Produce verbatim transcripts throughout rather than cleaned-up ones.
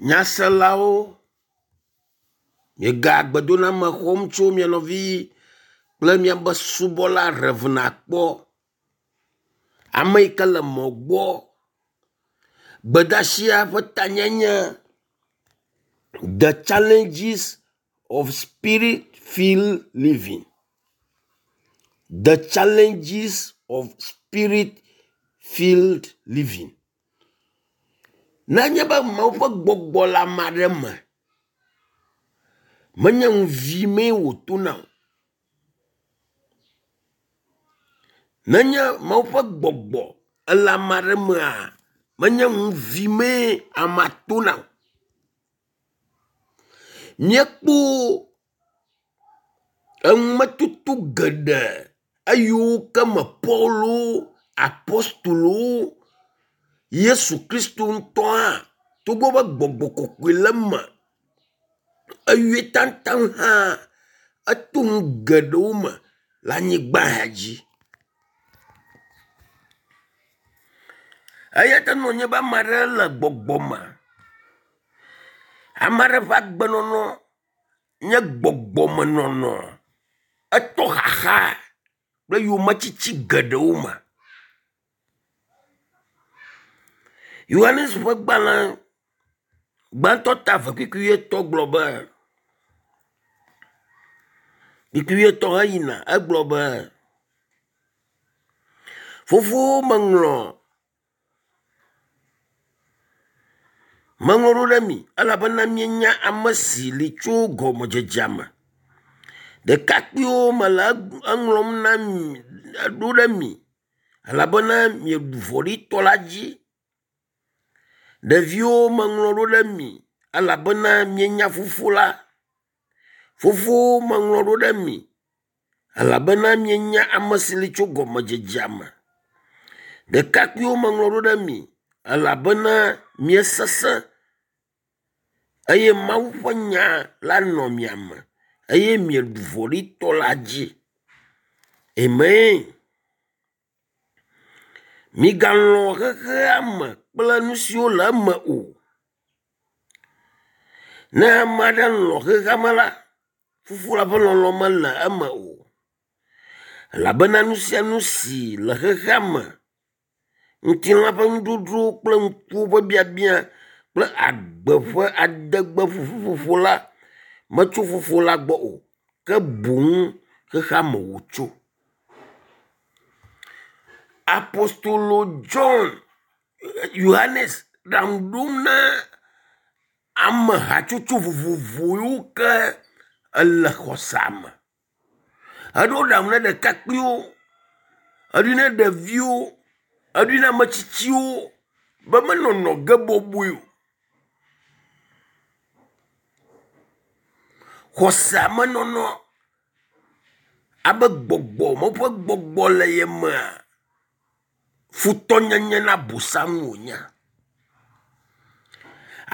Nyaselawo, miega gbedoname xɔm tso mia nɔvi kple miabe subɔla Rev. Akpɔ. Ame yi ke le mɔ gbɔ. Gbedasia ƒe tanyae nye “The challenges of spirit filled living. The challenges of spirit filled living.” Nenye be Mawu ƒe gbɔgbɔ le ame aɖe me, menye nu vi mee wòtona o. Nenye Mawu ƒe gbɔgbɔ ele ame aɖe mea, menye nu vi mee amea tona o. Míekpɔ enumetoto geɖe eyiwo ke me Pɔluwo, Apostolowo, Yesu Kristo ŋutɔ hã togbɔ be gbɔgbɔ kɔkɔe le eme eyɔe taŋtaŋ hã eto nu geɖewo me le anyigba ya dzi. Eya ta ne wònye be ame aɖe le gbɔgbɔ me, ame aɖe ƒe agbenɔnɔ nye gbɔgbɔmenɔnɔ, eto xaxa kple yometiti geɖewo me. Yohanes ƒe gbalẽ gbãtɔ ta eve kpukpui wuietɔ̃ gblɔ be, kpukpui wuietɔ̃ heyina egblɔ be, “Fofowo meŋlɔ meŋlɔ ɖo ɖe mi elabena mienya ame si li tso gɔmedzedzea me. Ɖekakpuiwo mele eŋlɔm na mi ɖo ɖe mi elabena mieɖu vɔ̃ɖitɔ la dzi. Ɖeviwo meŋlɔ ɖo ɖe mi elabena mienya Fofo la. Fofowo meŋlɔ ɖo ɖe mi elabena mienya ame si li tso gɔmedzedzea me. Ɖekakpuiwo meŋlɔ ɖo ɖe mi elabena miesesẽ eye Mawu ƒe nya la nɔ mia me eye mieɖu vɔ̃ɖitɔ la dzi. Amen. Migalɔ̃ xexea me kple nu siwo le eme o. Ne ame aɖe lɔ̃ xexea me la, Fofo la ƒe lɔlɔ̃ mele eme o. Elabena nu sia nu si le xexea me, ŋutilã ƒe nudzodzro kple ŋkuwo ƒe biabia kple agbe ƒe adegbe ƒuƒu la metso Fofo la gbɔ o ke boŋ xexea me wòtso. Apostolo John Yohanes ɖaŋu ɖom na ame hatsotso vovovo yiwo ke ele xɔsea me. Eɖo ɖaŋu na ɖekakpuiwo, eɖoe na ɖeviwo, eɖoe na ame tsitsiwo be menɔnɔ ge bɔbɔe o. Xɔsea me nɔnɔ abe gbɔgbɔ Mawu ƒe gbɔgbɔ le ye mea, futɔnyenye na Abosam wònye.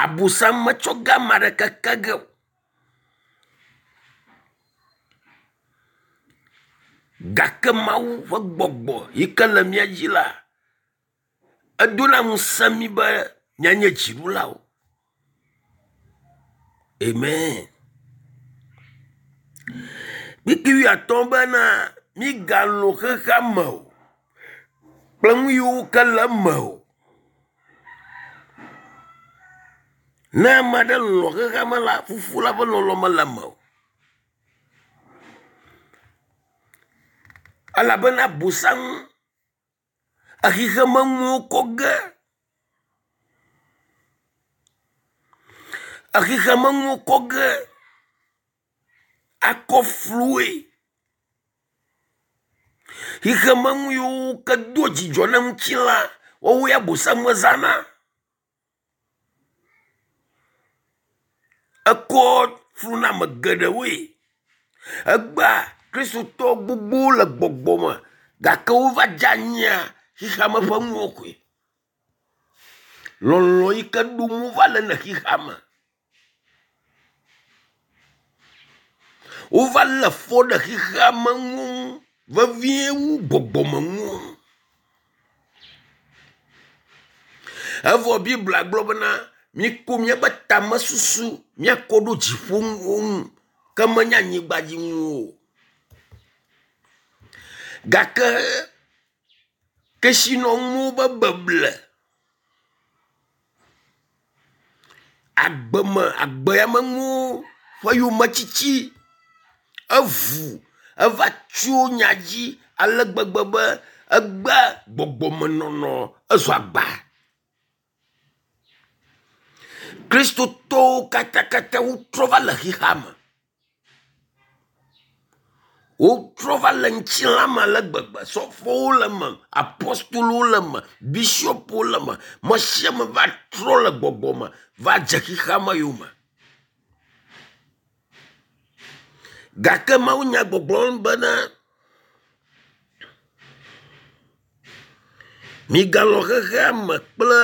Abosam metsɔ ge ame aɖeke ke ge o. Gake Mawu ƒe gbɔgbɔ yi ke le mía dzi la, edona ŋusẽ mí be míanye dziɖulawo. Amen. Kpukpui wuiatɔ̃ bena mígalɔ̃ xexea me o kple nu yiwo ke le eme o. Ne ame aɖe lɔ̃ xexea me la, Fofo la ƒe lɔlɔ̃ mele eme o. Elabena Abosam exexemenuwo kɔ ge. Exexemenuwo kɔ ge akɔ fluwoe. Xexemenu yiwo ke doa dzidzɔ na ŋutilã woawoe Abosam zãna. Ekɔ fluna ame geɖewoe. Egbea kristotɔ gbogbowo le gbɔgbɔ me gake wova dze anyia xexeame ƒe nuwo koe. Lɔlɔ̃ yi ke ɖom wova le ne xexea me. Wova lé fɔ ɖe xexea me nuwo ŋu vevie wu gbɔgbɔmenuwo. Evɔ Biblia gblɔ bena Míko míaƒe tamesusu míakɔ ɖo dziƒonuwo ŋu ke menye anyigba dzi nuwo o. Gake kesinɔnuwo be beble, agbeme agbemenuwo ƒe yometiti evu eva tso nya dzi ale gbegbe be egbe gbɔgbɔmenɔnɔ ezu agba. Kristotɔwo katakata wotrɔ va le xexea me. Wotrɔ va le ŋutilã me ale gbegbe. Sɔfowo le eme, apɔstolowo le eme, bishɔpuwo le eme. Me sia me va trɔ le gbɔgbɔ me va dze xexea me yome. Gake mawunya gbɔgblɔm bena migalɔ̃ xexea me kple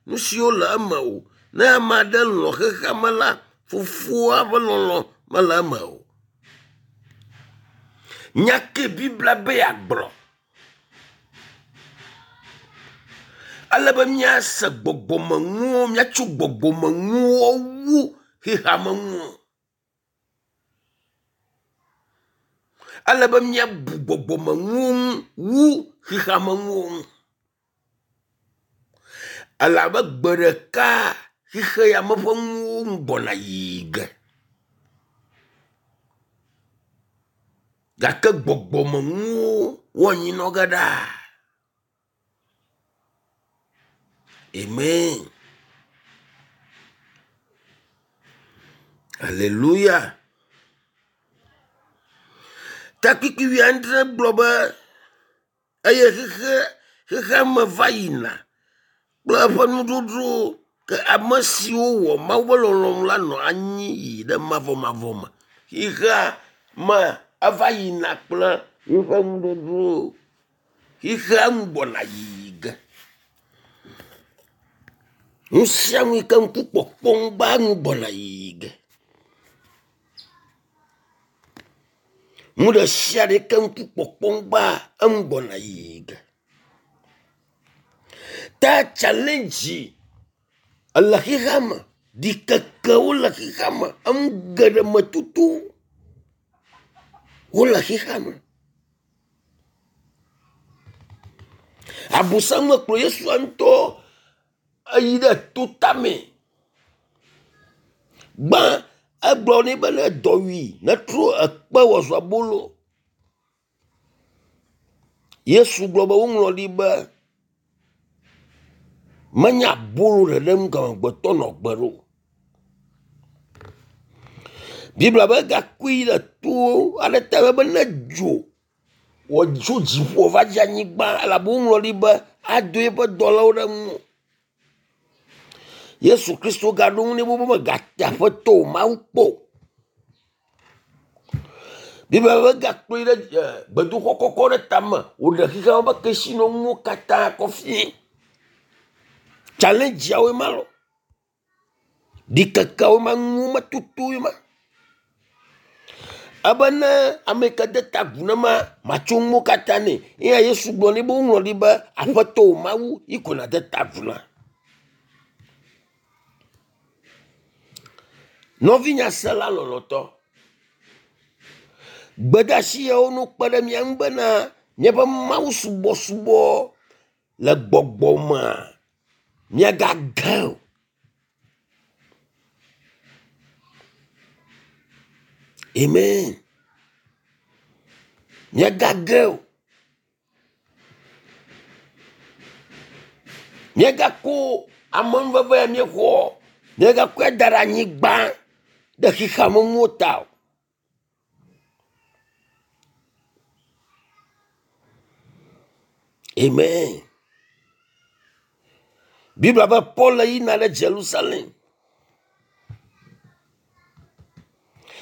nu siwo le eme o. Ne ame aɖe lɔ̃ xexea me la, fofoa ƒe lɔlɔ̃ mele eme o. Nya ke Biblia be yeagblɔ. Ale be míase gbɔgbɔmenuwo, míatso gbɔgbɔmenuwo wu xexeamenuwo. Ele be míabu gbɔgbɔmenuwo ŋu wu xexeamenuwo ŋu. Elabe gbe ɖeka xexe ya me ƒe nuwo nu gbɔna yiyi ge. Gake gbɔgbɔmenuwo woanyi nɔ ge ɖaa. Amen. Hallelujah. Takpikpi wuiadre gblɔ be eye xexe xexea me va yina kple eƒe nuɖoɖowo ke ame siwo wɔ Mawu ƒe lɔlɔ̃nu la nɔ anyi yi ɖe mavɔmavɔ me. Xexea me eva yina kple eƒe nuɖoɖowo. Xexea nu gbɔna yiyi ge. Nu sia nu yi ke ŋku kpɔkpɔm gba nu gbɔna yiyi ge. Nu ɖe sia ɖe yi ke ŋku kpɔkpɔm gba enu gbɔna yiyi ge. Ta challenge ele xexea me, ɖikekewo le xexea me, enu geɖe me tutu wole xexea me. Abosam mekplɔ Yesu ŋutɔ eyi ɖe to tame. Gbã egblɔ nɛ be ne dɔwui netrɔ ekpe wòazu abolo. Yesu gblɔ be woŋlɔ ɖi be menye abolo ɖeɖe ŋu amegbetɔ nɔ gbe ɖo. Biblia be egakui yi ɖe to aɖe te be ne dzo wɔ tso dziƒo va dze anyigba elabe woŋlɔ ɖi be ado eƒe dɔlawo ɖe ŋu. Yesu Kristo gaɖo ŋu nɛ be megate aƒetɔ o Mawu kpɔ o. Biblia be egakplɔe ɖe gbedoxɔ kɔkɔ ɖe tame wòɖe xexea ƒe kesinɔnuwo katã kɔ fie. Challengeawoe ma lɔ. Ɖikekeawoe ma nuwo me tutuwoe ma. Ebe ne ame yi ke de ta agu ne ma, matso nuwo katã nɛ. Eya Yesu gblɔ nɛ be woŋlɔ ɖi be aƒetɔ o Mawu yi ko nàde ta agu na. Nɔvinyasela lɔlɔ̃tɔ, gbedeasi yawo no kpe ɖe mía ŋu bena míaƒe Mawu subɔsubɔ le gbɔgbɔ mea míagage o. Amen. Míagage o. Míagako amenuveve ya míexɔ, míagakɔe da ɖe anyigba ɖe xexea me nuwo ta o. Amen. Biblia be Paul yina ɖe Jerusalem.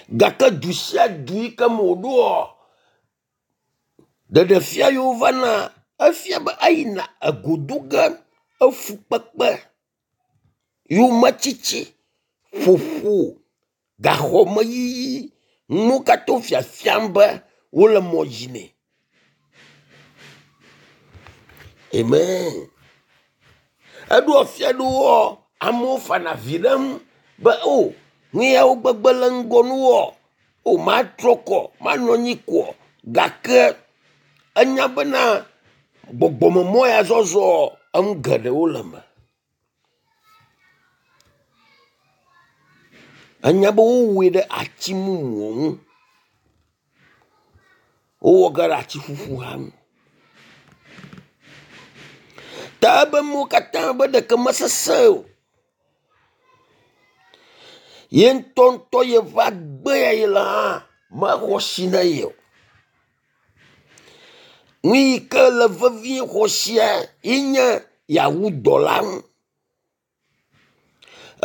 Gake du sia du yi ke me wòɖoa, ɖeɖefia yiwo vana efia be eyina egodo ge efukpekpe, yometiti, ƒoƒo, gaxɔmeyiyi, nuwo katã wo fiafiam be wole mɔ dzi nɛ. Amen. Eɖo afia ɖewoa, Amewo fana avi ɖe eŋu be o nu yawo gbegbe le ŋgɔ nuwɔ. O matrɔ kɔ, manɔ anyi koa gake enya bena gbɔgbɔmemɔ ya zɔzɔ enu geɖewo le eme. Enya be wowɔe ɖe ati mumu ŋu. Wowɔ ge ɖe ati ƒuƒu hã ŋu. Ta ebe nuwo katã be ɖeke mesese o. Ye ŋutɔŋutɔ yeƒe agbe ya yele hã mexɔ asi na ye o. Nu yi ke le vevie xɔ asia ye nye yeawu dɔ la nu.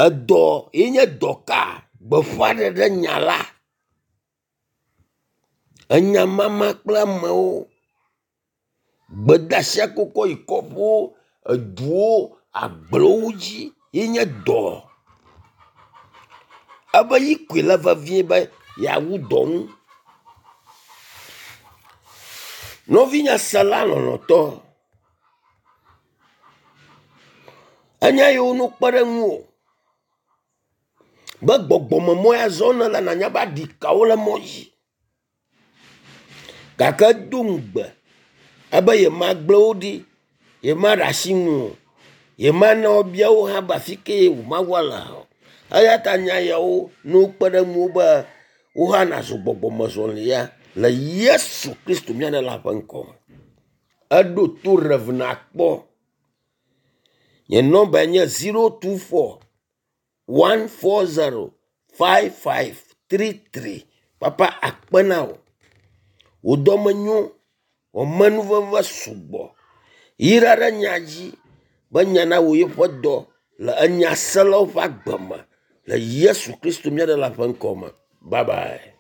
Edɔ ye nye dɔ ka? Gbeƒãɖeɖe nya la. Enyamama kple amewo. Gbedeasia kɔkɔ yi kɔƒewo, eduwo, agblewo dzi ye nye dɔ. Ebe yi koe le vevie be yeawu dɔ nu. Nɔvinye sela lɔlɔ̃tɔ, enya yiwo no kpe ɖe ŋuwò be gbɔgbɔmemɔ ya zɔm nele nanya be aɖikawo le mɔ dzi gake edo ŋugbe ebe yemagble wo ɖi, yemaɖe asi ŋu o, yemana woabia wo hã be afi ke wò Mawua le o. Eya ta nya yawo ne wokpe ɖe ŋuwò be wò hã nàzɔ gbɔgbɔmezɔlia le Yesu Kristo mía Ɖela ƒe ŋkɔ me. Eɖo to Rev nakpɔ. Nye nɔmbae nye zero two four one four zero five five three three. Papa akpe na wò. Wò dɔme nyo, wò amenuveve sugbɔ. Yra ɖe nya dzi be nya nawɔ yeƒe dɔ le enyaselawo ƒe agbe me le Yesu Kristo mía Ɖela ƒe ŋkɔ me. Bye bye.